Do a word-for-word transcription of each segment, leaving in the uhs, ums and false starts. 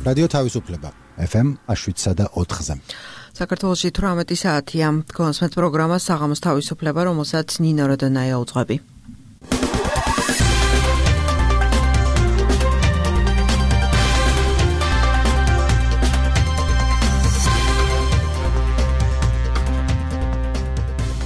რადიო თავისუფლება ეფ ემ შვიდსა და ოთხზე. საქართველოში თვრამეტი საათია. გონსმენთ პროგრამა საღამოს თავისუფლება, რომელსაც ნინო როდონაია უძღვები.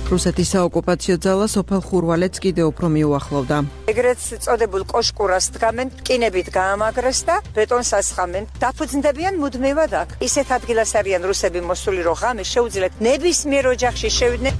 რუსეთის საოკუპაციო ძალა სოფელ ხურვალეთს კიდევ უფრო მიუახლოვდა. ეგრეთ წოდებულ კოშკურას დგამენ, რკინებით გაამაგრეს და ბეტონს ასხამენ. დაფუძნდებიან მუდმივად აქ. ისეთ ადგილას არიან რუსები მოსული, რომ ღამე შეუძლიათ ნებისმიერ ოჯახში შევიდნენ.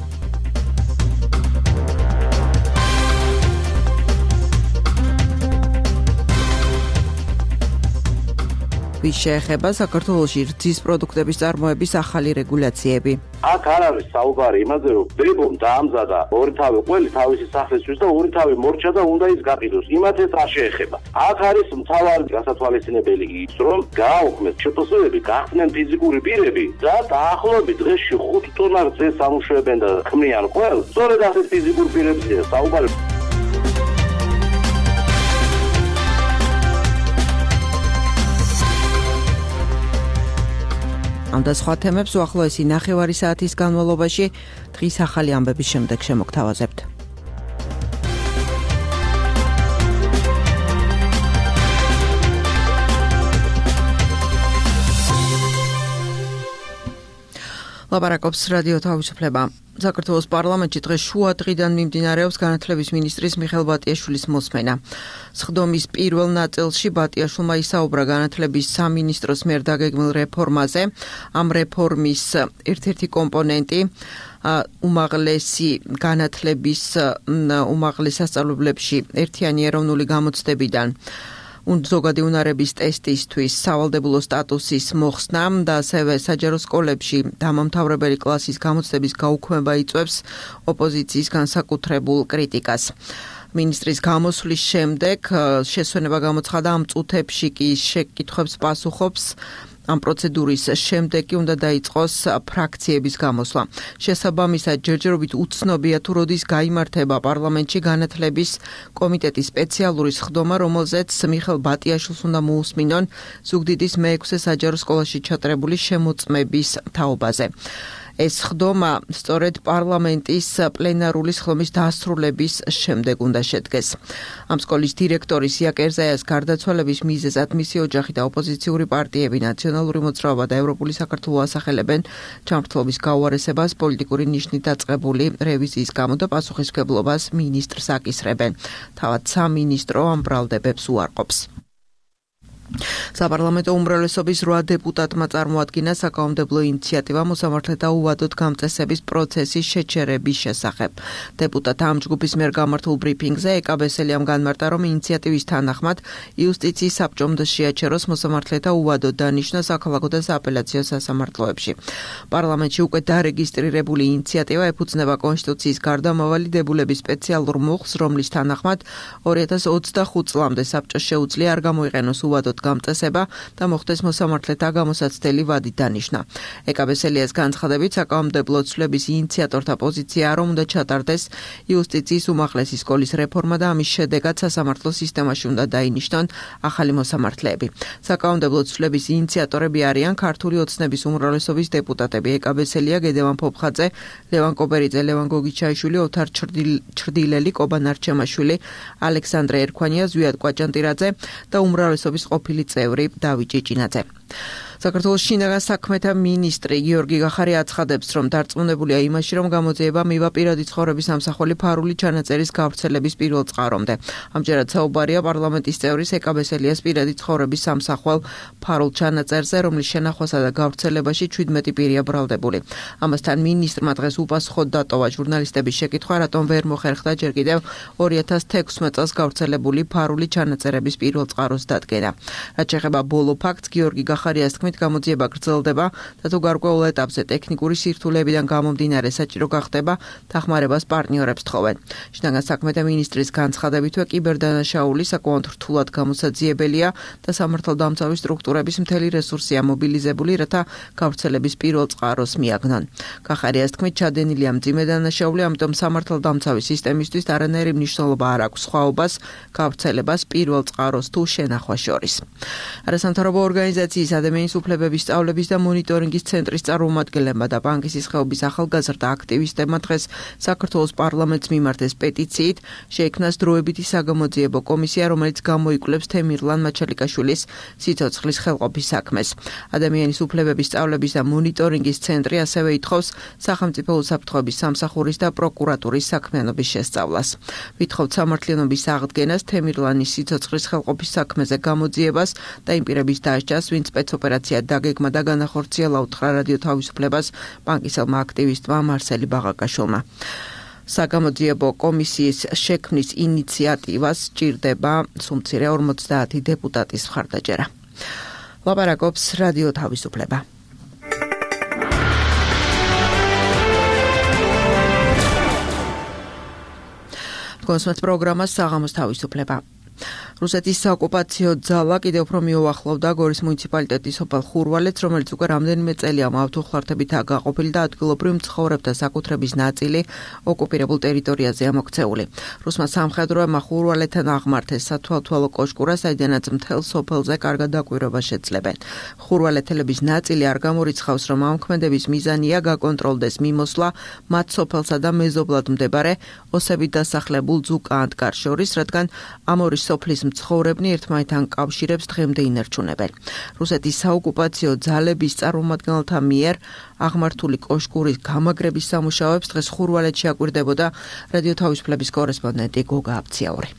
ვის შეეხება საქართველოში რძის პროდუქტების წარმოების ახალი რეგულაციები. აქ არ არის საუბარი იმაზე, რომ ბებომ დაამზადა ორი თავი ყველი თავისი სახლისთვის და ორი თავი მორჩა და უნდა ის გაყიდოს. იმათ ეს არ შეეხება. აქ არის მთავარი გასათვალისწინებელი ის, რომ გააუქმეს ჩპსვ-ები, გახდნენ ფიზიკური პირები და დაახლოებით დღეში ხუთ ტონა რძეს ამუშავებენ და ქმნიან ყველ. სწორედ ასეთ ფიზიკურ პირებზეა საუბარი. ამ და სხვა თემებს უახლოესი ნახევარი საათის განმავლობაში დღის ახალი ამბების შემდეგ შემოგთავაზებთ. ლაპარაკობს რადიო თავისუფლება. საქართველოს პარლამენტში დღეს შუა დღიდან მიმდინარეობს განათლების მინისტრის მიხეილ ბატიაშვილის მოსმენა. სხდომის პირველ ნაწილში ბატიაშვილმა ისაუბრა განათლების სამინისტროს მიერ დაგეგმილ რეფორმაზე. ამ რეფორმის ერთ-ერთი კომპონენტი უმაღლესი განათლების უმაღლეს სასწავლებლებში ერთიანი ეროვნული გამოცდებიდან ზოგადი უნარების ტესტისთვის სავალდებულო სტატუსის მოხსნა და ასევე საჯარო სკოლებში დამამთავრებელი კლასის გამოცდების გაუქმება იწვევს ოპოზიციის განსაკუთრებულ კრიტიკას. მინისტრის გამოსვლის შემდეგ შესვენება გამოცხადა ამ წუთებში კი შეკითხვებს პასუხობს. ამ პროცედურის შემდეგ კი უნდა დაიწყოს ფრაქციების გამოსვლა. შესაბამისად, ჯერჯერობით უცნობია თუ როდის გაიმართება პარლამენტში განათლების კომიტეტის სპეციალური სხდომა, რომელზეც მიხეილ ბატიაშვილს უნდა მოусმინონ ზუგდიდის მეექვსე საჯარო სკოლაში ჩატარებული შემოწმების თაობაზე. ეს სხდომა სწორედ პარლამენტის პლენარული სხდომის დასრულების შემდეგ უნდა შედგეს. ამ სკოლის დირექტორის ია კერზაიას გარდაცვალების მიზეზად მისი ოჯახი და ოპოზიციური პარტიები, ნაციონალური მოძრაობა და ევროპული საქართველო ასახელებენ ჩამრთლობის გაუარესებას, პოლიტიკური ნიშნით დაწყებული რევიზიის გამო და პასუხისმგებლობას მინისტრს აკისრებენ. თავად სამინისტრო ამ ბრალდებებს უარყოფს. საპარლამენტო უმრავლესობის რვა დეპუტატმა წარმოადგინა საკანონმდებლო ინიციატივა მოსამართლეთა უვადოდ გამწესების პროცესის შეჩერების შესახებ. დეპუტატთა ამ ჯგუფის მიერ გამართულ ბრიფინგზე ეკა ბესელიამ განმარტა, რომ ინიციატივის თანახმად იუსტიციის საბჭომ შეაჩეროს მოსამართლეთა უვადოდ დანიშვნა საქალაქო და სააპელაციო სასამართლოებში. პარლამენტში უკვე დარეგისტრირებული ინიციატივა ეფუძნება კონსტიტუციის გარდამავალი დებულების სპეციალურ მოხს, რომლის თანახმად ორი ათას ოცდახუთ წლამდე საბჭოს შეუძლია არ გამოიყენოს უვადოდ გამწესება და მოხდეს მოსამართლეთა გამოსაცდელი ვადი დანიშნა. ეკა ბესელიას განცხადებით, საკანონმდებლო ცვლილების ინიციატორთა პოზიციაა, რომ უნდა ჩატარდეს იუსტიციის უმაღლესი სკოლის რეფორმა და ამის შედეგად სასამართლო სისტემაში უნდა დაინიშნონ ახალი მოსამართლეები. საკანონმდებლო ცვლილების ინიციატორები არიან ქართული ოცნების უმრავლესობის დეპუტატები ეკა ბესელია, გედევან ფოფხაძე, ლევან კობერიძე, ლევან გოგიჩაიშვილი, ოთარ ჩრდილელი, კობა ნარჩემაშვილი, ალექსანდრე ერქვანია, ზვიად კვაჭანტირაძე და უმრავლესობის ყოფილი წევრი დავით ჭიჭინაძე. საქართველოს შინაგან საქმეთა მინისტრი გიორგი გახარი აცხადებს, რომ დარწმუნებულია იმაში, რომ გამოძიება მივა პირადი ცხოვრების ამსახველი ფარული ჩანაწერის გავრცელების პირველ წყარომდე. ამჯერად საუბარია პარლამენტის წევრის ეკა ბესელიას პირადი ცხოვრების ამსახველ ფარულ ჩანაწერზე, რომლის შენახვასა და გავრცელებაში ჩვიდმეტი პირია ბრალდებული. ამასთან მინისტრმა დღეს უპასუხოდ დატოვა ჟურნალისტების შეკითხვა, რატომ ვერ მოხერხდა ჯერ კიდევ ორი ათას თექვსმეტ წელს გავრცელებული ფარული ჩანაწერების პირველ წყაროს დადგენა. რაც შეეხება ბოლო ფაქტს, გიორგი გახარიას თქმით, გამოძიება გრძელდება და თუ გარკვეულ ეტაპზე ტექნიკური სირთულეებიდან გამომდინარე საჭირო გახდება, დახმარებას პარტნიორებს თხოვენ. შინაგან საქმეთა მინისტრის განცხადებითვე კიბერდანაშაული საკმაოდ რთულად გამოსაძიებელია და სამართალდამცავი სტრუქტურების მთელი რესურსია მობილიზებული, რათა გავრცელების პირველ წყაროს მიაგნონ. კახარიას თქმით, ჩადენილია მძიმე დანაშაული, ამიტომ სამართალდამცავი სისტემისთვის არანაირი მნიშვნელობა არ აქვს სხვაობას, გავრცელებას პირველ წყაროს თუ შენახვას შორის. არასამთავრობო ორგანიზაციის ადამიანის უფლებების სწავლების და მონიტორინგის ცენტრის წარმომადგენლებმა და ბანკის ისხეობის ახალგაზრდა აქტივისტებმა დღეს საქართველოს პარლამენტს მიმართეს პეტიციით, შეიქმნას დროებითი საგამოძიებო კომისია, რომელიც გამოიკვლევს თემირლან მაჩალიკაშვილის სიცოცხლის ხელყოფის საქმეს. ადამიანის უფლებების სწავლების და მონიტორინგის ცენტრი ასევე ითხოვს სახელმწიფო უსაფრთხოების სამსახურის და პროკურატურის საქმიანობის შესწავლას. ვითხოვთ სამართლიანობის აღდგენას თემირლანის სიცოცხლის ხელყოფის საქმეზე გამოძიებას და იმ პირების დასჯას, ვინც სპეცოპერაცია დაგეგმა და განახორციელა უთხრა რადიო თავისუფლებას ბანკისელმა აქტივისტმა მარსელი ბაღაკაშვილმა. საგამოძიებო კომისიის შექმნის ინიციატივას ჭირდება სულ ორმოცდაათი დეპუტატის მხარდაჭერა. ლაპარაკობს რადიო თავისუფლება. კონსმეთ პროგრამას საღამოს თავისუფლება. რუსეთის საოკუპაციო ძალა კიდევ უფრო მიუახლოვდა გორის მუნიციპალიტეტის სოფელ ხურვალეთს, რომელიც უკვე რამდენიმე წელია მავთუხლართებითაა გაყოფილი და ადგილობრივ მცხოვრებთა საკუთრების ნაწილი ოკუპირებულ ტერიტორიაზე ამოქცეული. რუსმა სამხედროებმა ხურვალეთთან აღმართეს სათვალთვალო კოშკურა, საიდანაც მთელ სოფელზე კარგად დაკვირვება შეძლებენ. ხურვალეთელების ნაწილი არ გამორიცხავს, რომ ამ ქმედების მიზანია გაკონტროლდეს მიმოსვლა მათ სოფელსა და მეზობლად მდებარე ოსებით დასახლებულ ძუკაანტკარს შორის, რადგან ამ ორი სოფლის მცხოვრებნი ერთმანეთთან კავშირებს დღემდე ინარჩუნებენ. რუსეთის საოკუპაციო ძალების წარმომადგენელთა მიერ აღმართული კოშკურის გამაგრების სამუშაოებს დღეს ხურვალეთში აკვირდებოდა რადიო თავისუფლების კორესპონდენტი გოგა აბციაური.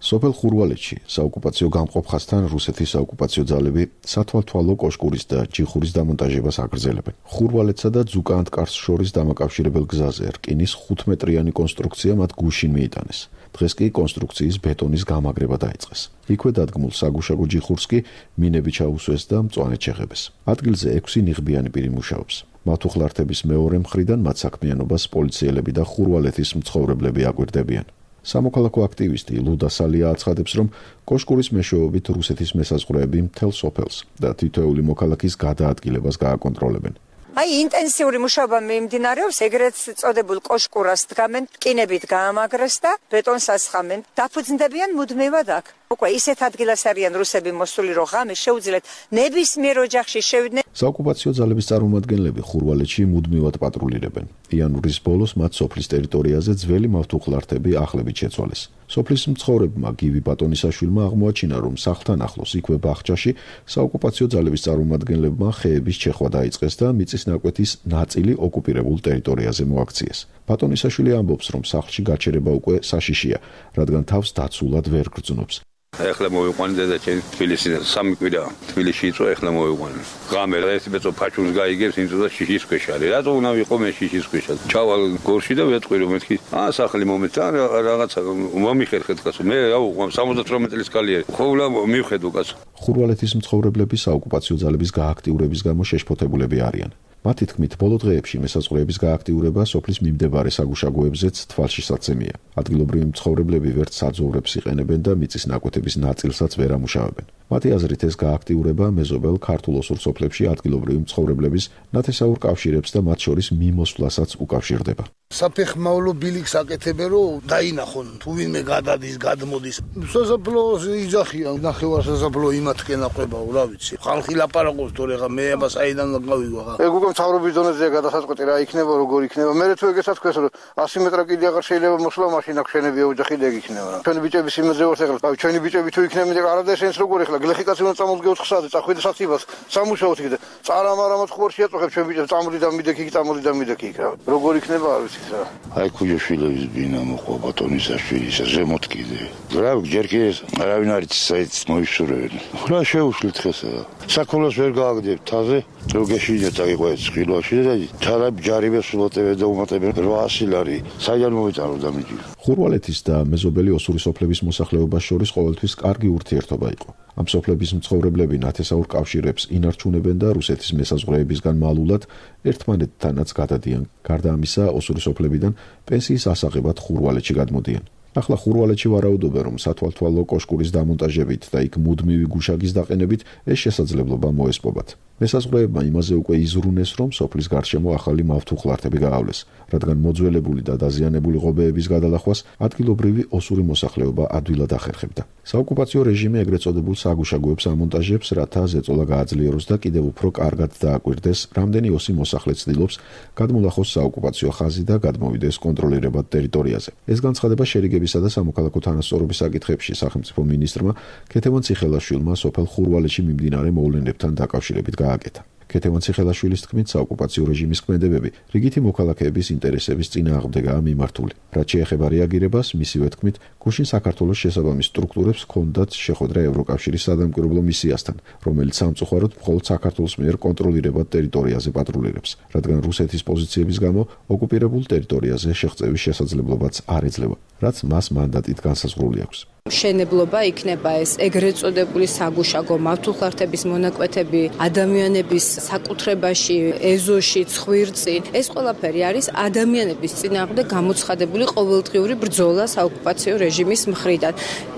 სოფელ ხურვალეთში საოკუპაციო გამყოფხასთან რუსეთის საოკუპაციო ძალები სათვალთვალო კოშკურის და ჯიხურის დამონტაჟებას აგრძელებენ. ხურვალეთსა და ძუკაანტკარს შორის დამაკავშირებელ გზაზე რკინის ხუთმეტრიანი კონსტრუქცია მათ გუშინ მიიტანეს. დღეს კი კონსტრუქციის ბეტონის გამაგრება დაიწყეს. იქვე დადგმულ საგუშაგო ჯიხურს კი მინები ჩაუსვეს და მწვანედ შეხებეს. ადგილზე ექვსი ნიღბიანი პირი მუშაობს. მავთუხლართების მეორე მხრიდან მათ საქმიანობას პოლიციელები და ხურვალეთის მცხოვრებლები აკვირდებიან. სამოქალაქო აქტივისტი ლუდა სალია აცხადებს, რომ კოშკურის მეშვეობით რუსეთის მესაზღვრეები მთელ სოფელს და თითოეული მოქალაქის გადაადგილებას გააკონტროლებენ. აი ინტენსიური მუშაობა მიმდინარეობს, ეგრეთ წოდებულ კოშკურას დგამენ, რკინებით გაამაგრეს და ბეტონს ასხამენ. დაფუძნდებიან მუდმივად აქ. უკვე ისეთ ადგილას არიან რუსები მოსული, რომ ღამე შეუძლიათ ნებისმიერ ოჯახში შევიდნენ. საოკუპაციო ძალების წარმომადგენლები ხურვალეთში მუდმივად პატრულირებენ. იანვრის ბოლოს მათ სოფლის ტერიტორიაზე ძველი მავთუხლართები ახლებით შეცვალეს. სოფლის მცხოვრებმა გივი ბატონისაშვილმა აღმოაჩინა, რომ სახლთან ახლოს იქვე ბაღჩაში საოკუპაციო ძალების წარმომადგენლებმა ხეების ჩეხვა დაიწყეს და მიწის ნაკვეთის ნაწილი ოკუპირებულ ტერიტორიაზე მოაქციეს. ბატონისაშვილი ამბობს, რომ სახლში გაჩერება უკვე საშიშია, რადგან თავს დაცულად ვერ გრძნობს. ეხლა მოვიყვანე დედაჩემ თბილისში სამი კვირა თბილისში იწვა, ეხლა მოვიყვანე. ღამე ერთი ბეწო ფაჩურს გაიგებს, იმწოდა შიშის ქვეშ არის. რატო უნდა ვიყო მე შიშის ქვეშ? ჩავალ გორში და ვეტყვი რომ მეთქი, აა სახლი მომეცა რაღაცა მომიხერხეთ კაცო. მე რა უყვამ სამოცდაოთხმეტ წლის კალიერი. ხოლმე მივხედო კაცო. ხურვალეთის მცხოვრებლები საოკუპაციო ძალების გააქტიურების გამო შეშფოთებულები არიან. მათი თქმით, ბოლო დღეებში მესაზღვრეების გააქტიურება სოფლის მიმდებარე საგუშაგოებზეც თვალშისაცემია. ადგილობრივი მცხოვრებლები ვერც საძოვრებს იყენებენ და მიწის ნაკვეთების ნაწილსაც ვერ ამუშავებენ. მათი აზრით ეს გააქტიურება მეზობელ ქართულ ოსურ სოფლებში ადგილობრივი მცხოვრებლების ნათესაურ კავშირებს და მათ შორის მიმოსვლასაც უკავშირდება. საფეხმავლო ბილიქს აკეთებენ, რომ დაინახონ, თუ ვინმე გადადის, გადმოდის. სასაფლაოს იძახიან, ნახევარ სასაფლაო იმათკენ აყვებაო, რა ვიცი. ხალხი ლაპარაკობს, თორე ხა მე აბა საიდან გავიგო ხა. ეგ უკვე მთავრობის დონეზეა გადასაწყვეტი რა იქნება, როგორ იქნება. მე თუ ეგესაც ქვეს, რომ ასი მეტრა კიდე აღარ შეიძლება მოსვლა, მაშინ აქ შენებია ოჯახი და ეგ იქნება რა. ჩვენი ბიჭების იმაზე ვართ ახლა. აი ჩვენი ბიჭები თუ იქნებიან, არადა შენს როგორ ახლა გლეხი კაცი უნდა წამოდგე ოთხ საათზე, წახვიდე საცივას, სამუშაოთ იქ და წარამარამად ხوارში აწუხებ ჩვენ ბიჭებს, წამოდი და მიდექი, წამოდი და მიდექი იქ რა. როგორ იქნება არ ვიცი რა. აი ქუჯაშვილების ბინა მოყვა ბატონისაშვილის ზემოთ კიდე. რა ჯერ კი ეს არავინ არ იცის საერთოდ მოისურვებენ. რა შეუშლით ხესა. საქონლოს ვერ გააგდებ თაზე, რო გეშინეთ აიყო ეს ხილვაში და თალა ჯარიბე სულოტებე და უმატებე რვაასი ლარი. საიდან მოვიტანო და მიჯი. ხურვალეთის და მეზობელი ოსური სოფლების მოსახლეობას შორის ყოველთვის კარგი ურთიერთობა იყო. ამ სოფლების მცხოვრებლები ნათესაურ კავშირებს ინარჩუნებენ და რუსეთის მესაზღვრეებისგან მალულად ერთმანეთთანაც გადადიან. გარდა ამისა, ოსური სოფლებიდან პენსიის ასაღებად ხურვალეთში გადმოდიან. ახლა ხურვალეთში ვარაუდობენ, რომ სათვალთვალო კოშკურის დამონტაჟებით და იქ მუდმივი გუშაგის დაყენებით ეს შესაძლებლობა მოესპობათ. მესაზღვრეებმა იმაზე უკვე იზრუნეს, რომ სოფლის გარშემო ახალი მავთუხლართები გაავლეს, რადგან მოძველებული და დაზიანებული ღობეების გადალახვას ადგილობრივი ოსური მოსახლეობა ადვილად ახერხებდა. საოკუპაციო რეჟიმი ეგრეთ წოდებულ საგუშაგოებს ამონტაჟებს, რათა ზეწოლა გააძლიეროს და კიდევ უფრო კარგად დააკვირდეს, რამდენი ოსი მოსახლე ცდილობს გადმოლახოს საოკუპაციო ხაზი და გადმოვიდეს კონტროლირებად ტერიტორიაზე. ეს განცხადება შერიგებისა და სამოქალაქო თანასწორობის საკითხებში სახელმწიფო მინისტრმა ქეთევან ციხელაშვილმა სოფელ ხურვალეთში მიმდინარე მოვლენებთან დაკავშირებით გააკეთა. ქეთევან ციხელაშვილის თქმით, საოკუპაციო რეჟიმის ქმედებები რიგითი მოქალაქეების ინტერესების წინააღმდეგაა მიმართული. რაც შეეხება რეაგირებას, მისივე თქმით, გუშინ საქართველოს შესაბამის სტრუქტურებს ჰქონდათ შეხვედრა ევროკავშირის სადამკვირვებლო მისიასთან, რომელიც სამწუხაროდ მხოლოდ საქართველოს მიერ კონტროლირებად ტერიტორიაზე პატრულირებს, რადგან რუსეთის პოზიციების გამო ოკუპირებულ ტერიტორიაზე შეღწევის შესაძლებლობაც არ ეძლევა, რაც მას მანდატით განსაზღვრული აქვს. მშენებლობა იქნება ეს ეგრეთ წოდებული საგუშაგო მავთუხლართების მონაკვეთები ადამიანების საკუთრებაში, ეზოში, ცხვირწი. ეს ყველაფერი არის ადამიანების წინააღმდეგ გამოცხადებული ყოველდღიური ბრძოლა საოკუპაციო რეჟიმის მხრიდან.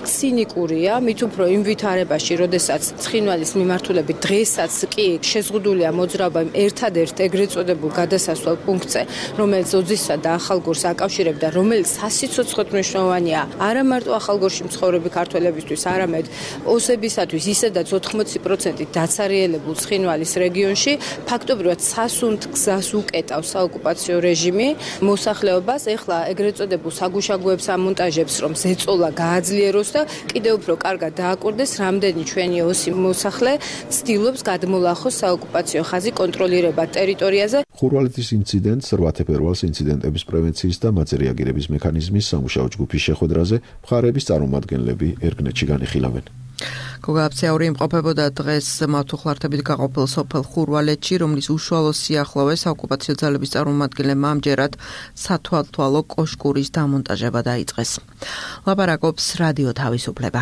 ცინიკურია, მით უფრო იმ ვითარებაში, როდესაც ცხინვალის მიმართულებით დღესაც კი შეზღუდულია მოძრაობა ერთადერთ ეგრეთ წოდებულ გადასასვლელ პუნქტზე, რომელიც ოძისსა და ახალგორს აკავშირებდა, რომელიც სასიცოცხლოდ მნიშვნელოვანია არა მარტო ახალგორში ცხოვრები ქართველებისთვის, არამედ ოსებისათვის ისედაც ოთხმოცი პროცენტი დაცარიელებულ ცხინვალის რეგიონში ფაქტობრივად სასუნთ გზას უკეტავს საოკუპაციო რეჟიმი მოსახლეობას. ეხლა ეგრეთ წოდებულ საგუშაგოებს ამონტაჟებს, რომ ზეწოლა გააძლიეროს და კიდევ უფრო კარგად დააკვირდეს, რამდენი ჩვენი ოსი მოსახლე ცდილობს გადმოლახოს საოკუპაციო ხაზი კონტროლირებად ტერიტორიაზე. ხურვალეთის ინციდენტს რვა თებერვალს ინციდენტების პრევენციის და მათზე რეაგირების მექანიზმის სამუშაო ჯგუფის შეხვედრაზე მხარეების წარმომადგენლები ერგნეთში განიხილავენ. გოგაბცეური იმყოფებოდა დღეს მავთუხლართებით გაყოფილ სოფელ ხურვალეთში, რომლის უშუალო სიახლოვეს საოკუპაციო ძალების წარმომადგენლებმა ამჯერად სათვალთვალო კოშკურის დამონტაჟება დაიწყეს. ლაპარაკობს რადიო თავისუფლება.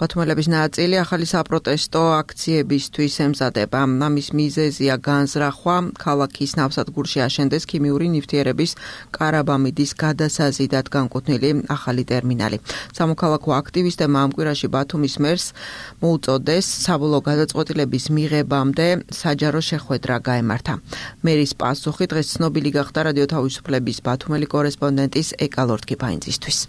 ბათუმელების ნაწილი ახალი საპროტესტო აქციებისთვის ემზადება. ამის მიზეზია განზრახვა ქალაქის ნავსადგურში აშენდეს ქიმიური ნივთიერების კარაბამიდის გადასაზიდად განკუთვნილი ახალი ტერმინალი. სამოქალაქო აქტივისტებმა ამ კვირაში ბათუმის მერს მოუწოდეს საბოლოო გადაწყვეტილების მიღებამდე საჯარო შეხვედრა გაემართა. მერის პასუხი დღეს ცნობილი გახდა რადიო თავისუფლების ბათუმელი კორესპონდენტის ეკა ლორთქიფაინძისთვის.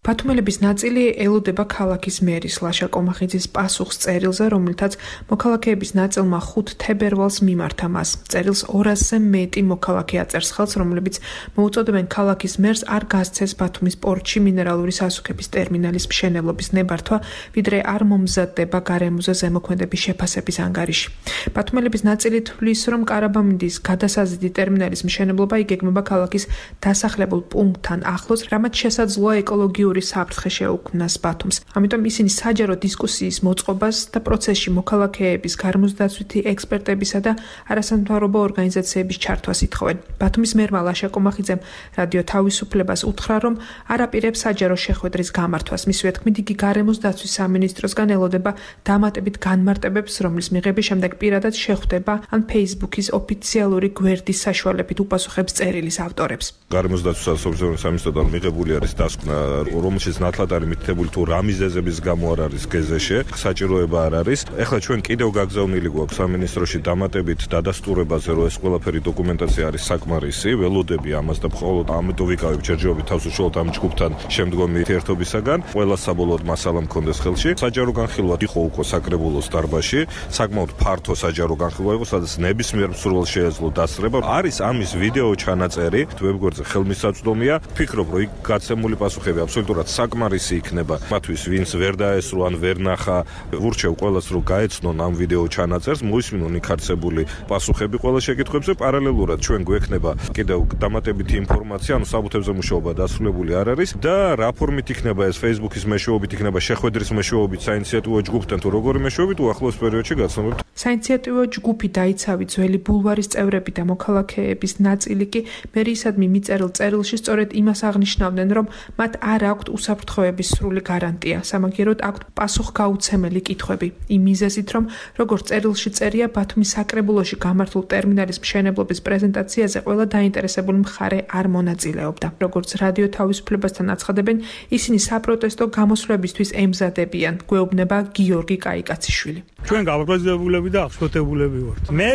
ბათუმელების ნაწილი ელოდება ქალაქის მერის ლაშა კომახიძის პასუხს წერილზე, რომელთაც მოქალაქეების ნაწილმა ხუთ თებერვალს მიმართა მას. წერილს ორასზე მეტი მოქალაქე აწერს ხელს, რომლებიც მოუწოდებენ ქალაქის მერს არ გასცეს ბათუმის პორტში მინერალური სასუქების ტერმინალის მშენებლობის ნებართვა, ვიდრე არ მომზადდება გარემოზე ზემოქმედების შეფასების ანგარიში. ბათუმელების ნაწილი თვლის, რომ კარაბამიდის გადასაზიდი ტერმინალის მშენებლობა იგეგმება ქალაქის დასახლებულ პუნქტთან ახლოს, რამაც შესაძლოა ეკოლოგიური საფრთხე შეუქმნას ბათუმს. ამიტომ ისინი საჯარო დისკუსიის მოწყობას და პროცესში მოქალაქეების გარემოსდაცვითი ექსპერტებისა და არასამთავრობო ორგანიზაციების ჩართვას ითხოვენ. ბათუმის მერმა ლაშა კომახიძემ რადიო თავისუფლებას უთხრა, რომ არ აპირებს საჯარო შეხვედრის გამართვას. მისივე თქმით, იგი გარემოსდაცვის სამინისტროსგან ელოდება დამატებით განმარტებებს, რომლის მიღების შემდეგ პირადად შეხვდება ან Facebook-ის ოფიციალური გვერდის საშუალებით უპასუხებს წერილის ავტორებს. გარემოსდაცვის სამინისტროსგან მიღებული არის დასკვნა, რომელშიც ნათლად არის მითითებული თუ რა მიზეზების გამო არ არის გეზეშე, საჭიროება არ არის. ეხლა ჩვენ კიდევ გაგზავნილი გვაქვს სამინისტროში დამატებით დადასტურებაზე, რომ ეს ყველაფერი დოკუმენტაცია არის საკმარისი, ველოდები ამას და მხოლოდ ამიტომ ვიკავებ ჯერჯერობით თავს უშუალოდ ამ ჯგუფთან შემდგომი ურთიერთობისაგან, ყველა საბოლოოდ მასალა მქონდეს ხელში. საჯარო განხილვა იყო უკვე საკრებულოს დარბაზში, საკმაოდ ფართო საჯარო განხილვა იყო, სადაც ნებისმიერ მსურველს შეეძლო დასწრება. არის ამის ვიდეო ჩანაწერი, ვებგვერდზე ხელმისაწვდომია. ფიქრობ, რომ იქ გაცემული პასუხები აბსოლუტურად საკმარისი იქნება მათთვის, ვინც ვერ დაესწრო ან ვერ ნახა. ვურჩევ ყველას, რომ გაეცნონ ამ ვიდეო ჩანაწერს, მოისმინონ იქ არსებული პასუხები ყველა შეკითხვებზე. პარალელურად ჩვენ გვექნება კიდევ დამატებითი ინფორმაცია, ანუ საბუთებზე მუშაობა დასრულებული არ არის და რა ფორმით იქნება ეს Facebook-ის მეშვეობით, იქნება შეხვედრის მეშვეობით, საინიციატივო ჯგუფთან თუ როგორი მეშვეობით, უახლოეს პერიოდში გაცნობებთ. საინიციატივო ჯგუფი დაიცავი ძველი ბულვარის წევრები და მოქალაქეების ნაწილი კი მერიისადმი მიწერილ წერილში სწორედ იმას აღნიშნავდნენ, რომ მათ არ აქვთ უსაფრთხოების სრული გარანტია, სამაგიეროდ აქვთ პასუხგაუცემელი კითხვები. იმ მიზეზით, რომ როგორც წერილში წერია, ბათუმის საკრებულოში გამართულ ტერმინალის მშენებლობის პრეზენტაციაზე ყველა დაინტერესებული მხარე არ მონაწილეობდა. როგორც რადიო თავისუფლებასთან აცხადებენ, ისინი საპროტესტო გამოსვლებისთვის ემზადებიან, გვეუბნება გიორგი კაიკაციშვილი. ჩვენ გავაბრძებულები და აღშფოთებულები ვართ. მე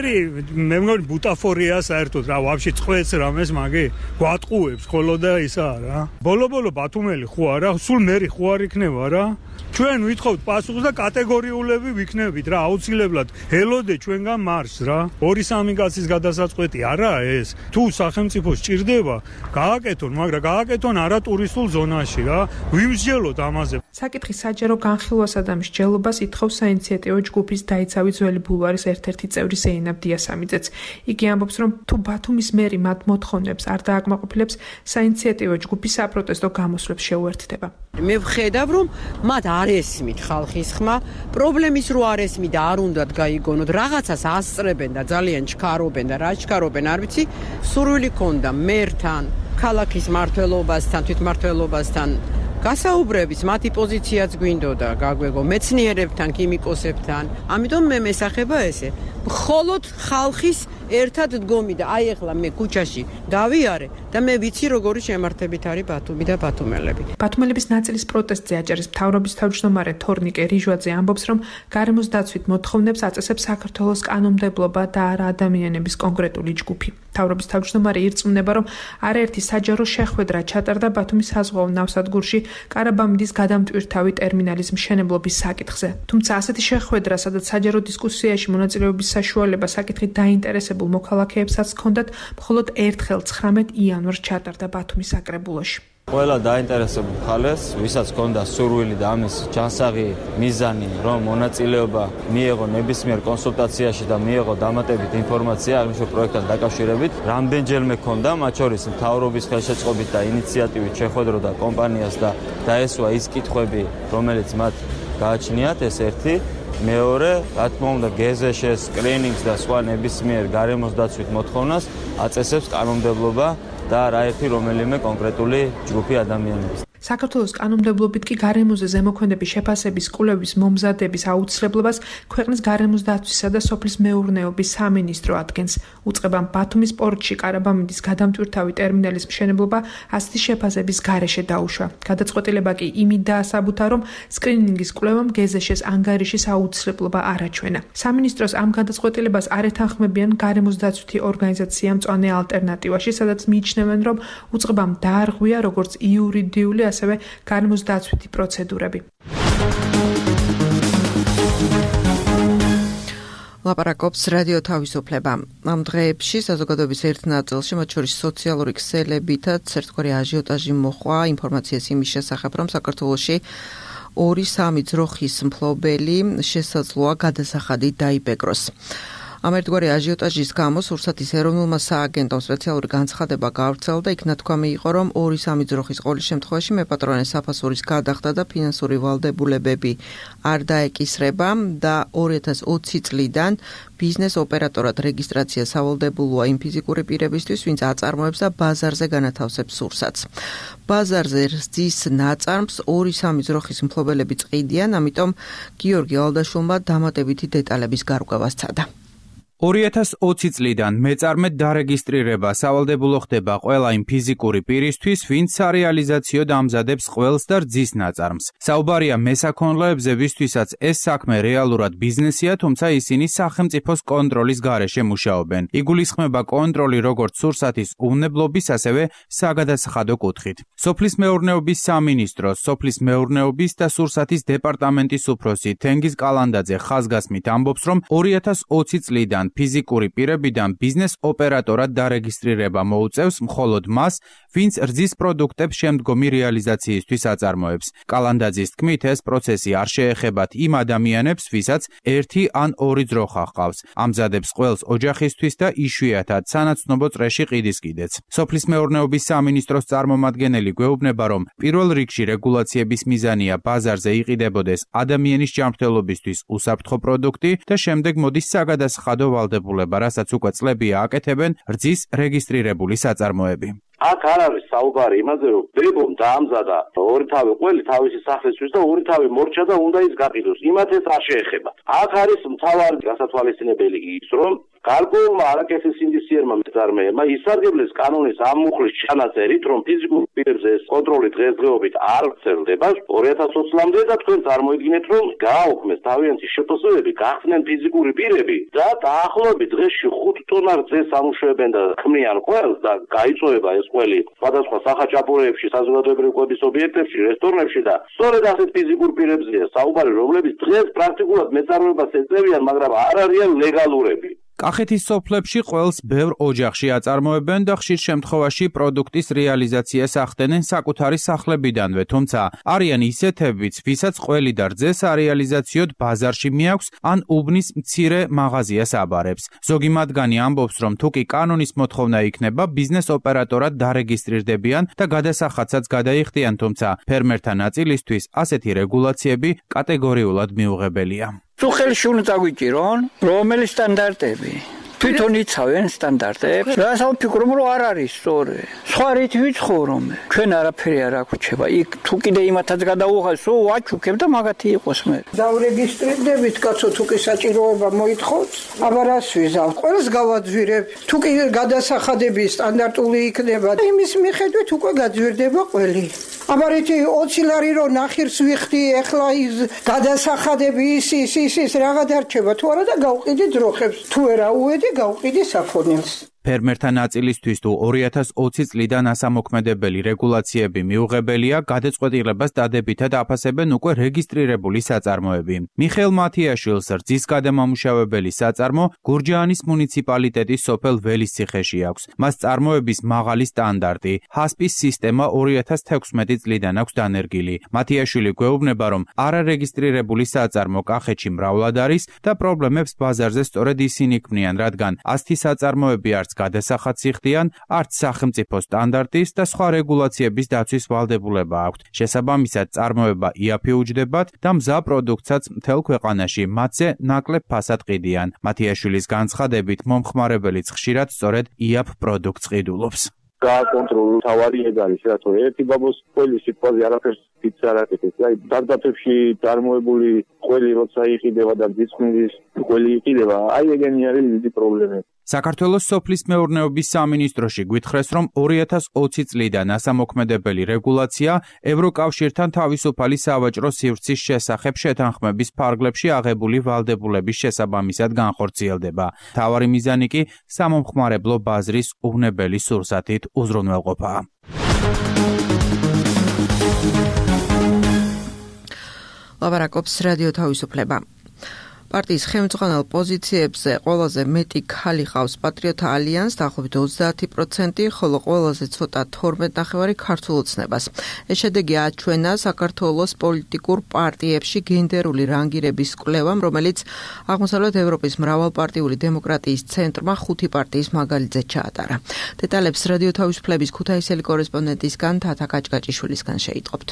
მე მგონი ბუტაფორია საერთოდ რა, ვაფშე წყვეც რამეს მაგი გვატყუებს ხოლო და ისა რა. ბოლო-ბოლო ბათუმელი ხო არა, სულ მერი ხო არ იქნება რა. ჩვენ ვითხოვთ პასუხს და კატეგორიულები ვიქნებით რა, აუცილებლად ელოდე ჩვენგან მარს რა. ორი სამი კაცის გადასაწყვეტი არაა ეს. თუ სახელმწიფო სჭირდება, გააკეთონ, მაგრამ გააკეთონ არა ტურისტულ ზონაში რა. ვიმსჯელოთ ამაზე. საკითხი საჯარო განხილვასა და მსჯელობას ითხოვს საინიციატივო ჯგუფის დაიცავი ძველი ბულვარის ერთ-ერთი წევრი ზეინაბ დიასამიძეც. იგი ამბობს, რომ თუ ბათუმის მერი მათ მოთხოვნებს არ დააკმაყოფილებს, საინიციატივო ჯგუფი საპროტესტო გამოსვლებს შეუერთდება. მე ვხედავ, რომ მათ არ ესმით ხალხის ხმა, პრობლემის რო არ ესმით და არ უნდათ გაიგონოთ, რაღაცას ასწრებენ და ძალიან ჩქარობენ და რა ჩქარობენ, არ ვიცი, სურვილი ქონდა მერთან, ქალაქის მმართველობასთან, თვითმმართველობასთან გასაუბრების, მათი პოზიციაც გვინდოდა, გაგვეგო, მეცნიერებთან, ქიმიკოსებთან. ამიტომ მე მესახება ესე, მხოლოდ ხალხის ერთად დგომი და აი ახლა მე ქუჩაში დავიარე და მე ვიცი როგორი შემართებით არის ბათუმი და ბათუმელები. ბათუმელების ნაწილის პროტესტზე აჭარის მთავრობის თავმჯდომარე თორნიკე რიჟვაძე ამბობს, რომ გარემოს დაცვით მოთხოვნებს აწესებს საქართველოს კანონმდებლობა და არა ადამიანების კონკრეტული ჯგუფი. მთავრობის თავმჯდომარე ირწმუნება, რომ არაერთი საჯარო შეხვედრა ჩატარდა ბათუმის საზღვაო ნავსადგურში კარაბამიდის გადამტვირთავი ტერმინალის მშენებლობის საკითხზე. თუმცა ასეთი შეხვედრა, სადაც საჯარო დისკუსიაში მონაწილეობის საშუალება საკითხით დაინტერესებულ მოქალაქეებსაც ჰქონდათ, მხოლოდ ერთხელ ცხრამეტ იანვარს ჩატარდა ბათუმის საკრებულოში. ყველა დაინტერესებულ ხალხს, ვისაც ჰქონდა სურვილი და ამის ჯანსაღი მიზანი, რომ მონაწილეობა მიეღო ნებისმიერ კონსულტაციაში და მიეღო დამატებით ინფორმაცია აღნიშნულ პროექტთან დაკავშირებით, რამდენჯერმე ჰქონდა, მათ შორის მთავრობის ხელშეწყობით და ინიციატივით შეხვედროდა კომპანიას და დაესვა ის კითხვები, რომელიც მათ გააჩნიათ, ეს ერთი. მეორე, რა თქმა უნდა, გეზეშეს, სკრინინგს და სხვა ნებისმიერ გარემოს დაცვით მოთხოვნას აწესებს კანონმდებლობა და არაერთი რომელიმე კონკრეტული ჯგუფი ადამიანების. საქართველოს კანონმდებლობით კი გარემოზე ზემოქმედების შეფასების კვლევის მომზადების აუცილებლობას ქვეყნის გარემოს დაცვისა და სოფლის მეურნეობის სამინისტრო ადგენს. უწყებამ ბათუმის პორტში კარაბამიდის გადამტვირთავი ტერმინალის მშენებლობა ასეთი შეფასების გარეშე დაუშვა. გადაწყვეტილება კი იმით დაასაბუთა, რომ სკრინინგის კვლევამ გეზეშეს ანგარიშის აუცილებლობა არ აჩვენა. სამინისტროს ამ გადაწყვეტილებას არ ეთანხმებიან გარემოს დაცვითი ორგანიზაცია მწვანე ალტერნატივაში, სადაც მიიჩნევენ, რომ უწყებამ დაარღვია როგორც იურიდიული ასევე გარემოს დაცვითი პროცედურები. ლაპარაკობს რადიო თავისუფლება. ამ დღეებში საზოგადოების ერთ ნაწილში, მათ შორის სოციალური ქსელებითაც ერთგვარი აჟიოტაჟი მოხვა ინფორმაციას იმის შესახებ, რომ საქართველოში ორი სამი ძროხის მფლობელი შესაძლოა გადასახადით დაიბეგროს. ამ ერთგვარი აჟიოტაჟის გამო სურსათის ეროვნულმა სააგენტომ სპეციალური განცხადება გავრცელდა, იქ ნათქვამი იყო, რომ ორი სამი ძროხის ყოველ შემთხვევაში მეპატრონე საფასურის გადახდა და ფინანსური ვალდებულებები არ დაეკისრება და ორი ათას ოცი წლიდან ბიზნეს ოპერატორად რეგისტრაცია სავალდებულოა იმ ფიზიკური პირებისთვის, ვინც აწარმოებს და ბაზარზე განათავსებს სურსათს. ბაზარზე რძის ნაწარმს ორი სამი ძროხის მფლობელები წყიდიან, ამიტომ გიორგი ალდაშვილმა დამატებითი დეტალების გარკვევა სცადა. ორი ათას ოცი წლიდან მეწარმედ დარეგისტრირება სავალდებულო ხდება ყველა იმ ფიზიკური პირისთვის, ვინც სარეალიზაციოდ ამზადებს ყველს და რძის ნაწარმს. საუბარია მესაქონლეებზე, ვისთვისაც ეს საქმე რეალურად ბიზნესია, თუმცა ისინი სახელმწიფოს კონტროლის გარეშე მუშაობენ. იგულისხმება კონტროლი როგორც სურსათის უვნებლობის, ასევე საგადასახადო კუთხით. სოფლის მეურნეობის სამინისტროს, სოფლის მეურნეობის და სურსათის დეპარტამენტის უფროსი თენგიზ კალანდაძე ხაზგასმით ამბობს, რომ ორი ათას ოცი წლიდან ფიზიკური პირებიდან ბიზნეს ოპერატორად დარეგისტრირება მოუწევს მხოლოდ მას, ვინც რძის პროდუქტებს შემდგომი რეალიზაციისთვის აწარმოებს. კალანდაძის თქმით, ეს პროცესი არ შეეხებათ იმ ადამიანებს, ვისაც ერთი ან ორი ძროხა ჰყავს. ამზადებს ყველს ოჯახისთვის და იშვიათად სანაცნობო წრეში ყიდის კიდეც. სოფლის მეურნეობის სამინისტროს წარმომადგენელი გვეუბნება, რომ პირველ რიგში რეგულაციების მიზანია ბაზარზე იყიდებოდეს ადამიანის ჯანმრთელობისთვის უსაფრთხო პროდუქტი და შემდეგ მოდის საგადასახადო ვალდებულება, რასაც უკვე წლებია აკეთებენ რძის რეგისტრირებული საწარმოები. აქ არ არის საუბარი იმაზე, რომ ბებომ დაამზადა ორი თავი ყველი თავისი სახლისთვის და ორი თავი მორჩა და უნდა ის გაყიდოს. იმათ ეს არ შეეხება. აქ არის მთავარი გასათვალისწინებელი ის, რომ გარკვეულმა არაკეთის ინდივიდუალურმა მეწარმეებმა ისარგებლეს კანონის ამ მუხლის ჩანაწერით, რომ ფიზიკურ პირებზე ეს კონტროლი დღესდღეობით არ ვრცელდება ორი ათას ოცი წლამდე და თქვენ წარმოიდგინეთ, რომ გააუქმეს თავიანთი შეფასებები, გახსნენ ფიზიკური პირები და დაახლოებით დღეში ხუთ ტონა რძეს ამუშავებენ და ქმნიან ყველს და გაიწოვება ეს ყველი სხვადასხვა სახაჭაპურეებში, საზოგადოებრივი კვების ობიექტებში, რესტორნებში და სწორედ ასეთ ფიზიკურ პირებზეა საუბარი, რომლებიც დღეს პრაქტიკულად მეწარმეობას ეწევიან, მაგრამ არ არიან ლეგალურები. კახეთის სოფლებში ყველს ბევრ ოჯახში აწარმოებენ და ხშირ შემთხვევაში პროდუქტის რეალიზაციას ახდენენ საკუთარი სახლებიდანვე, თუმცა არიან ისეთებიც, ვისაც ყველი და რძე სარეალიზაციოდ ბაზარში მიაქვს ან უბნის მცირე მაღაზიას აბარებს. ზოგი მათგანი ამბობს, რომ თუ კი კანონის მოთხოვნა იქნება, ბიზნეს ოპერატორად დარეგისტრირდებიან და გადასახადსაც გადაიხდიან, თუმცა ფერმერთა ნაწილისთვის ასეთი რეგულაციები კატეგორიულად მიუღებელია. თუ ხელში უნდა დაგვიჭირონ, რომელი სტანდარტები? თვითონ იცავენ სტანდარტებს. რასაც ვფიქრობ, რომ არ არის სწორი. სხვა რით ვიცხოვრომ. ჩვენ არაფერი არ აგვიჩება. იქ თუ კიდე იმათაც გადაუღალს, ო ვაჩუქებ და მაგათი იყოს მე. დავრეგისტრირდებით, კაცო, თუ კი საჭიროება მოითხოვთ, აბა რას ვიზავ? ყველს გავაძვირებ. თუ კი გადასახადები სტანდარტული იქნება, იმის მიხედვით უკვე გაძვირდება ყველი. აბა რითი ოცი ლარი რო ნახირს ვიხდი, ეხლა ის გადასახადები ის ის ის ის რაღა დარჩება თუ არა და გავყიდი ძროხებს. თუ არა უედი გავყიდი საფონელს. ფერმერთა ნაწილისთვის თუ ორი ათას ოცი წლიდან ასამოქმედებელი რეგულაციები მიუღებელია, გადაწყვეტილებას დადებითად აფასებენ უკვე რეგისტრირებული საწარმოები. მიხეილ მათიაშვილს რძის გადამამუშავებელი საწარმო გურჯაანის მუნიციპალიტეტის სოფელ ველისციხეში აქვს. მას წარმოების მაღალი სტანდარტი, ჰასპის სისტემა ორი ათას თექვსმეტი წლიდან აქვს დანერგილი. მათიაშვილი გვეუბნება, რომ არარეგისტრირებული საწარმო კახეთში მრავლად არის და პრობლემებს ბაზარზე სწორედ ისინი ქმნიან, რადგან ასეთი საწარმოები არც გადასახადს იხდიან, არც სახელმწიფო სტანდარტის და სხვა რეგულაციების დაცვის ვალდებულება აქვთ. შესაბამისად, წარმოება იაფიუჯდებათ და მზა პროდუქტსაც მთელ ქვეყანაში მათზე ნაკლებ ფასად ყიდიან. მათიაშვილის განცხადებით, მომხმარებელიც ხშირად სწორედ იაფ პროდუქტს ყიდულობს. გააკონტროლო თავარი ეგ არის, რატო ერთი ბაბოს ყველი სიტყვაზე არაფერს ფიქს არ აკეთებს. აი, დარდაფებში წარმოებული ყველი როცა იყიდება და ძიცხნის ყველი იყიდება, აი ეგენი არის დიდი პრობლემები. საქართველოს სოფლის მეურნეობის სამინისტროში გვითხრეს, რომ ორი ათას ოცი წლიდან ასამოქმედებელი რეგულაცია ევროკავშირთან თავისუფალი სავაჭრო სივრცის შესახებ შეთანხმების ფარგლებში აღებული ვალდებულების შესაბამისად განხორციელდება. მთავარი მიზანი კი სამომხმარებლო ბაზრის უვნებელი სურსათით უზრუნველყოფაა. ლაბარაკობს რადიო თავისუფლება. პარტიის ხელმძღვანელ პოზიციებზე ყველაზე მეტი ქალი ყავს პატრიოტთა ალიანსს, დაახლოებით ოცდაათი პროცენტი, ხოლო ყველაზე ცოტა თორმეტ ნახევარი ქართულ ოცნებას. ეს შედეგი აჩვენა საქართველოს პოლიტიკურ პარტიებში გენდერული რანგირების კვლევამ, რომელიც აღმოსავლეთ ევროპის მრავალპარტიული დემოკრატიის ცენტრმა ხუთი პარტიის მაგალითზე ჩაატარა. დეტალებს რადიო თავისუფლების ქუთაისელი კორესპონდენტისგან თათა კაჭკაჭიშვილისგან შეიტყობთ.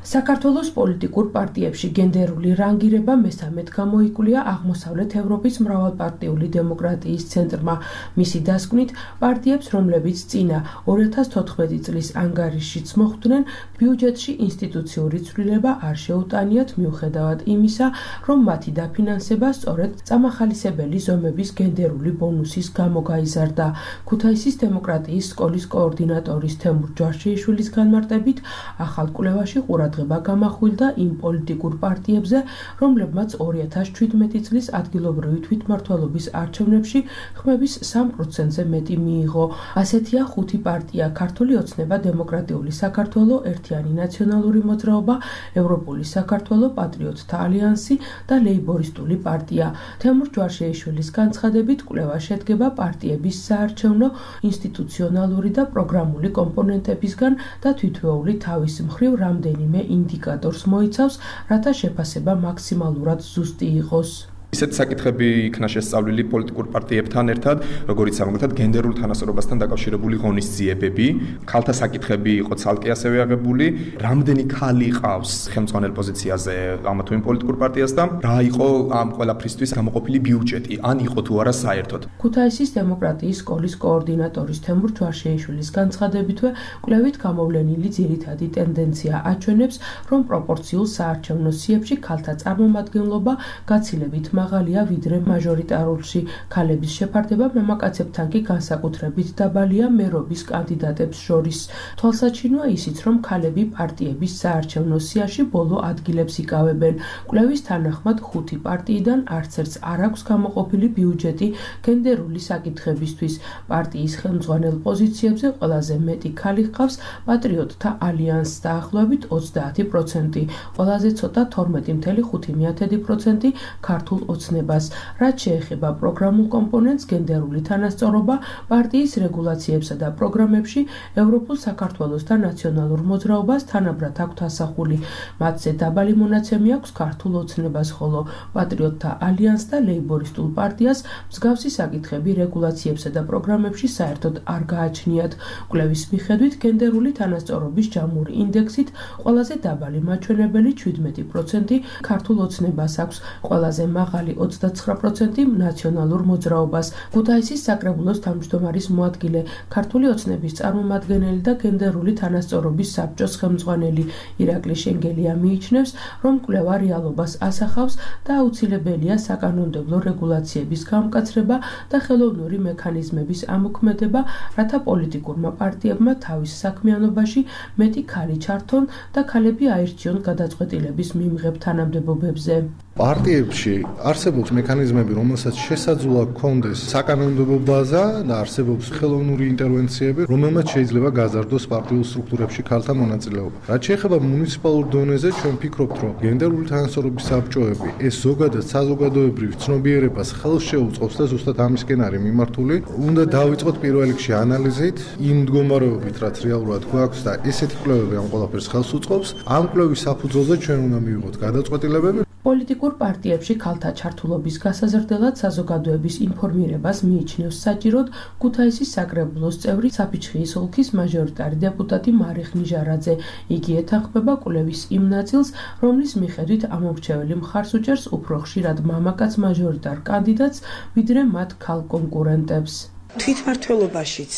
საქართველოს პოლიტიკურ პარტიებში გენდერული რანგირება მესამედ გამოიკვლია აღმოსავლეთ ევროპის მრავალპარტიული დემოკრატიის ცენტრმა. მისი დასკვნით, პარტიებს, რომლებიც წინა ორი ათას თოთხმეტი წლის ანგარიშშიც მოხვდნენ, ბიუჯეტში ინსტიტუციური ცვლილება არ შეუტანიათ მიუხედავად იმისა, რომ მათი დაფინანსება სწორედ წამახალისებელი ზომების გენდერული ბონუსის გამო გაიზარდა. ქუთაისის დემოკრატიის სკოლის კოორდინატორის თემურ ჯვარშეიშვილის განმარტებით, ახალ კვლევაში ყურადღება ყურადღება გამახვილდა იმ პოლიტიკურ პარტიებზე, რომლებმაც ორი ათას შვიდმეტი წლის ადგილობრივი თვითმმართველობის არჩევნებში ხმების სამ პროცენტზე მეტი მიიღო. ასეთია ხუთი პარტია: ქართული ოცნება, დემოკრატიული საქართველო, ერთიანი ნაციონალური მოძრაობა, ევროპული საქართველო, პატრიოტთა ალიანსი და ლეიბორისტული პარტია. თემურ ჯვარშეიშვილის განცხადებით, კვლევა შედგება პარტიების საარჩევნო, ინსტიტუციონალური და პროგრამული კომპონენტებისგან და თითოეული თავის მხრივ რამდენიმე ინდიკატორს მოიცავს, რათა შეფასება მაქსიმალურად ზუსტი იყოს. ისეთ საკითხები იქნა შესწავლილი პოლიტიკურ პარტიებთან ერთად, როგორიც ამგვარად გენდერულ თანასწორობასთან დაკავშირებული ღონისძიებები, ქალთა საკითხები იყო ცალკე ასევე აღებული, რამდენი ქალი ყავს ხელმძღვანელ პოზიციაზე ამა თუ იმ პოლიტიკურ პარტიას და რა იყო ამ ყველაფრისთვის გამოყოფილი ბიუჯეტი, ან იყო თუ არა საერთოდ. ქუთაისის დემოკრატიის სკოლის კოორდინატორის თემურ ჯვარშეიშვილის განცხადებითვე, კვლევით გამოვლენილი ძირითადი ტენდენცია აჩვენებს, რომ პროპორციულ საარჩევნო სიებში ქალთა წარმომადგენლობა გაცილებით მაღალია ვიდრე მაჟორიტარულში. ქალების შეფარდება მამაკაცებთან კი განსაკუთრებით დაბალია მერობის კანდიდატებს შორის. თვალსაჩინოა ისიც, რომ ქალები პარტიების საარჩევნო სიაში ბოლო ადგილებს იკავებენ. კვლევის თანახმად ხუთი პარტიიდან არც ერთს არ აქვს გამოყოფილი ბიუჯეტი გენდერული საკითხებისთვის. პარტიის ხელმძღვანელ პოზიციებზე ყველაზე მეტი ქალი ჰყავს პატრიოტთა ალიანსს დაახლოებით ოცდაათი პროცენტი, ყველაზე ცოტა თორმეტი წამსული ხუთი პროცენტი ქართულ ოცნებას. რაც შეეხება პროგრამულ კომპონენტს, გენდერული თანასწორობა პარტიის რეგულაციებსა და პროგრამებში ევროპულ საქართველოს და ნაციონალურ მოძრაობას თანაბრად აქვთ ასახული. მათზე დაბალი მონაცემი აქვს ქართულ ოცნებას, ხოლო პატრიოტთა ალიანსს და ლეიბორისტულ პარტიას მსგავსი საკითხები რეგულაციებსა და პროგრამებში საერთოდ არ გააჩნიათ. კვლევის მიხედვით, გენდერული თანასწორობის ჯამური ინდექსით ყველაზე დაბალი მაჩვენებელი შვიდმეტი პროცენტი ქართულ ოცნებას აქვს, ყველაზე მაღალი ოცდაცხრა პროცენტი ნაციონალურ მოძრაობას. ქუთაისის საკრებულოს თავმჯდომარის მოადგილე, ქართული ოცნების წარმომადგენელი და გენდერული თანასწორობის საბჭოს ხელმძღვანელი ირაკლი შენგელია მიიჩნევს, რომ კვლევა რეალობას ასახავს და აუცილებელია საკანონმდებლო რეგულაციების გამკაცრება და ხელოვნური მექანიზმების ამოქმედება, რათა პოლიტიკურმა პარტიებმა თავის საქმიანობაში მეტი ქალი ჩართონ და ქალები აირჩიონ გადაწყვეტილების მიმღებ თანამდებობებზე. პარტიებში არსებობს მექანიზმები, რომელსაც შესაძლოა ჰქონდეს საკანონმდებლო ბაზა და არსებობს ხელოვნური ინტერვენციები, რომელმაც შეიძლება გაზარდოს პარტიულ სტრუქტურებში ქალთა მონაწილეობა. რაც შეეხება მუნიციპალურ დონეზე, ჩვენ ვფიქრობთ, რომ გენდერული თანასწორობის საბჭოები ეს ზოგადად საზოგადოებრივ ცნობიერებას ხელს შეუწყობს და ზუსტად ამისკენ არის მიმართული. უნდა დავიწყოთ პირველ რიგში ანალიზით იმ მდგომარეობით, რაც რეალურად გვაქვს და ესეთი კვლევები ამ ყველაფერს ხელს უწყობს. ამ კვლევის საფუძველზე ჩვენ უნდა მივიღოთ გადაწყვეტილებები. პოლიტიკურ პარტიებში ქალთა ჩართულობის გასაზრდელად საზოგადოების ინფორმირებას მიიჩნევს საჭიროდ ქუთაისის საკრებულოს წევრი საფიჩხიის ოლქის მაჟორიტარი დეპუტატი მარიხ ნიჟარაძე. იგი ეთანხმება კვლევის იმ ნაწილს, რომლის მიხედვით ამორჩეველი მხარს უჭერს უფრო ხშირად მამაკაც მაჟორიტარ კანდიდატს, ვიდრე მათ ქალ კონკურენტებს. თვითმმართველობაშიც,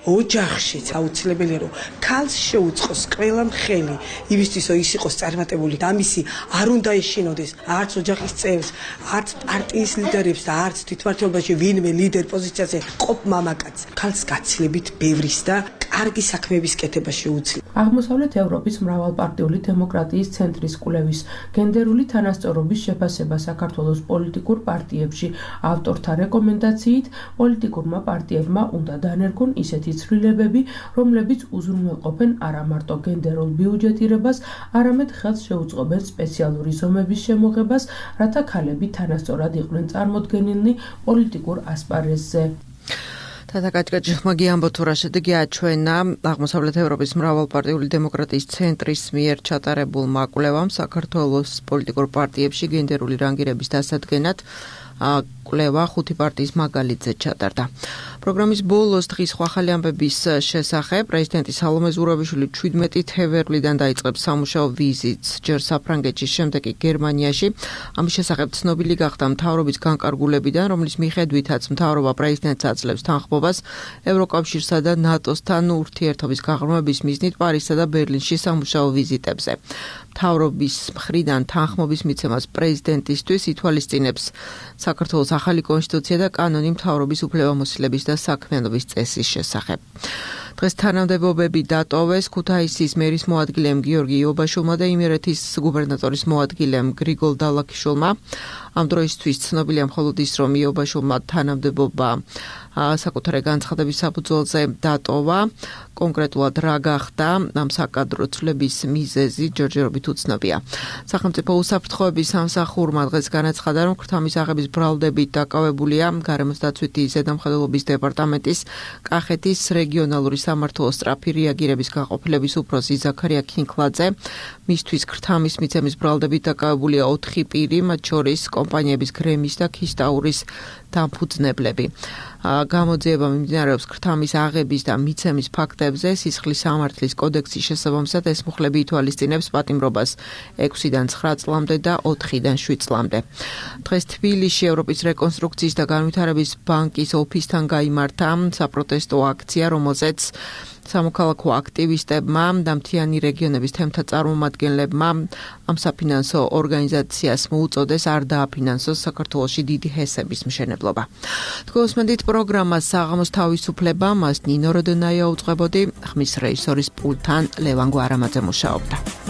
ოჯახშიც აუცილებელია, რომ ქალს შეუწყოს ყველა მხელი იმისთვის, რომ ის იყოს წარმატებული და ამისი არ უნდა ეშინოდეს არც ოჯახის წევრს, არც პარტიის ლიდერებს და არც თვითმმართველობაში ვინმე ლიდერ პოზიციაზე ყოფ მამაკაც. ქალს გაცილებით ბევრის და კარგი საქმეების კეთება შეუძლია. აღმოსავლეთ ევროპის მრავალპარტიული დემოკრატიის ცენტრის კვლევის გენდერული თანასწორობის შეფასება საქართველოს პოლიტიკურ პარტიებში ავტორთა რეკომენდაციით პოლიტიკურმა პარტიებმა უნდა დანერგონ ისეთი ცვლილებები, რომლებიც უზრუნველყოფენ არა მარტო გენდერულ ბიუჯეტირებას, არამედ ხელს შეუწყობენ სპეციალური ზომების შემოღებას, რათა ქალები თანასწორად იყვნენ წარმოდგენილნი პოლიტიკურ ასპარეზზე. თათაკაჭკაჭი ხმაგი ამბობთ, რა შედეგი აჩვენა აღმოსავლეთ ევროპის მრავალპარტიული დემოკრატიის ცენტრის მიერ ჩატარებულმა კვლევამ საქართველოს პოლიტიკურ პარტიებში გენდერული რანგირების დასადგენად კვლევა ხუთი პარტიის მაგალითზე ჩატარდა. პროგრამის ბოლოს დღის ახალი ამბების შესახებ პრეზიდენტი სალომე ზურაბიშვილი შვიდმეტი თებერვლიდან დაიწყებს სამუშაო ვიზიტს ჯერ საფრანგეთში, შემდეგ კი გერმანიაში. ამის შესახებ ცნობილი გახდა მთავრობის განკარგულებიდან, რომლის მიხედვითაც მთავრობა პრეზიდენტს აძლევს თანხმობას ევროკავშირსა და ნატოსთან ურთიერთობის გაღრმავების მიზნით პარიზსა და ბერლინში სამუშაო ვიზიტებზე. მთავრობის მხრიდან თანხმობის მიცემას პრეზიდენტისთვის ითვალისწინებს საქართველოს ახალი კონსტიტუცია და კანონი მთავრობის უფლებამოსილების და საქმიანობის წესის შესახებ. დღეს თანამდებობები დატოვეს ქუთაისის მერის მოადგილემ გიორგი იობაშვილმა და იმერეთის გუბერნატორის მოადგილემ გრიგოლ დალაქიშვილმა. ამ დროისთვის ცნობილია მხოლოდ ის, რომ იობაშვილმა თანამდებობა საკუთარი განცხადების საფუძველზე დატოვა. კონკრეტულად რა გახდა ამ საკადრო ცვლების მიზეზი ჯერჯერობით უცნობია. სახელმწიფო უსაფრთხოების სამსახურმა დღეს განაცხადა, რომ ქრთამის აღების ბრალდებით დაკავებულია გარემოს დაცვითი ზედამხედველობის დეპარტამენტის კახეთის რეგიონალური სამმართველოს სწრაფი რეაგირების გაყოფილების უფროსი ზაქარია ქინკლაძე. მისთვის ქრთამის მიცემის ბრალდებით დაკავებულია ოთხი პირი, მათ შორის კომპანიების გრემის და ქისტაურის დამფუძნებლები. გამოძიება მიმდინარეობს ქრთამის აღების და მიცემის ფაქტებზე. სისხლის სამართლის კოდექსის შესაბამისად ეს მუხლები ითვალისწინებს პატიმრობას ექვსიდან ცხრა წლამდე და ოთხიდან შვიდ წლამდე. დღეს თბილისში ევროპის რეკონსტრუქციის და განვითარების ბანკის ოფისთან გაიმართა საპროტესტო აქცია, რომელზეც სამოქალაქო აქტივისტებმა და მთიანი რეგიონების თემთა წარმომადგენლებმა ამ საფინანსო ორგანიზაციას მოუწოდეს არ დააფინანსოს საქართველოში დიდი ჰესების მშენებლობა. თქვენსმენდით პროგრამას საღამოს თავისუფლება, მას ნინო როდონაია უწყებოდი, ხმის რეჟისორის პულტთან ლევან გვარამაძე მუშაობდა.